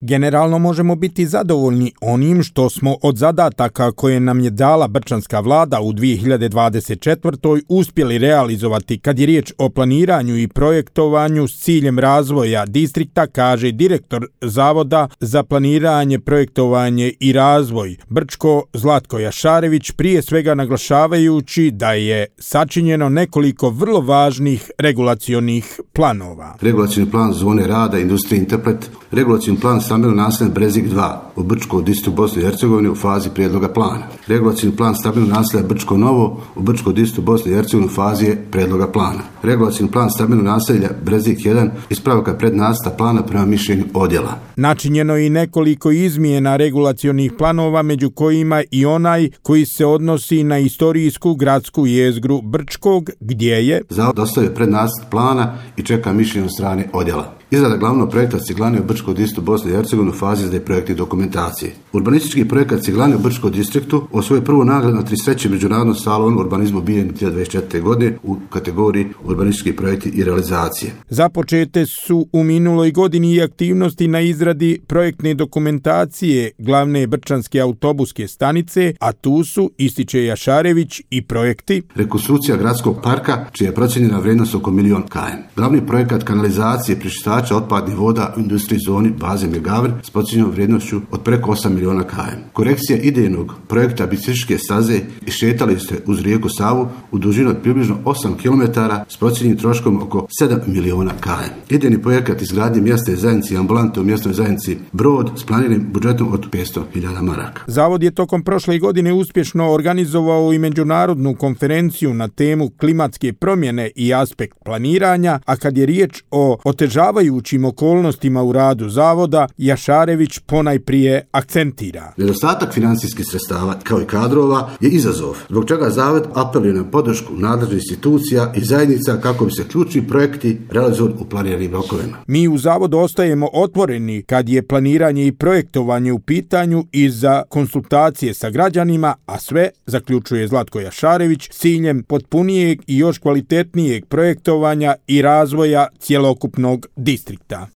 Generalno možemo biti zadovoljni onim što smo od zadataka koje nam je dala brčanska vlada u 2024. uspjeli realizovati kad je riječ o planiranju i projektovanju s ciljem razvoja distrikta, kaže direktor Zavoda za planiranje, projektovanje i razvoj Brčko Zlatko Jašarević, prije svega naglašavajući da je sačinjeno nekoliko vrlo važnih regulacionih planova. Regulacioni plan zone rada Industrija Interpret, regulacioni plan stambeno naselje Brezik 2 u Brčko distriktu Bosne i Hercegovine u fazi prijedloga plana. Regulacioni plan stambeno naselje Brčko Novo u Brčko distriktu Bosne i Hercegovine u fazi prijedloga plana. Regulacioni plan stambeno naselja Brezik 1 ispravka prednacrta plana prema mišljenju odjela. Načinjeno je i nekoliko izmjena regulacionih planova, među kojima i onaj koji se odnosi na istorijsku gradsku jezgru Brčkog, gdje je Zavod dostavio prednacrt plana i čeka mišljenje od strane odjela. Izrada glavnog projekta Ciglane u Brčkom distriktu Bosne i Hercegovine u fazi izrade projektne dokumentacije. Urbanistički projekat Ciglane u Brčkom distriktu osvojio prvu nagradu na 33. međunarodnom salonu urbanizmu BIEN 2024. godine u kategoriji urbanistički projekti i realizacije. Započete su u minuloj godini i aktivnosti na izradi projektne dokumentacije glavne brčanske autobuske stanice, a tu su, ističe Jašarević, i projekti rekonstrukcija gradskog parka, čija je procijenjena vrijednost oko 1 milion km. Glavni projekat kanalizacije pričistača otpadnih voda u industrijskoj zoni baze Megavr s procijenjenom vrijednošću od preko 8 miliona km. Korekcija idejnog projekta biciklističke staze i šetalište uz rijeku Savu u dužini od približno 8 km s procijenjenim troškom oko 7 miliona km. Idejni projekat izgradnje mjesne zajednice i ambulante u mjesnoj zajednici Brod s planiranim budžetom od 500.000 maraka. Zavod je tokom prošle godine uspješno organizovao i međunarodnu konferenciju na temu klimatske promjene i aspekt planiranja, a kad je riječ o otežavajućim okolnostima u radu zavoda, Jašarević ponajprije akcentira. Nedostatak financijskih sredstava kao i kadrova je izazov, zbog čega zavod apeluje na podršku nadležnih institucija i zajednica kako bi se ključni projekti realizovali u planiranim rokovima. Mi u zavodu ostajemo otvoreni kad je planiranje i projektovanje u pitanju i za konsultacije sa građanima, a sve, zaključuje Zlatko Jašarević, s ciljem potpunijeg i još kvalitetnijeg projektovanja i razvoja cjelokupnog distrikta.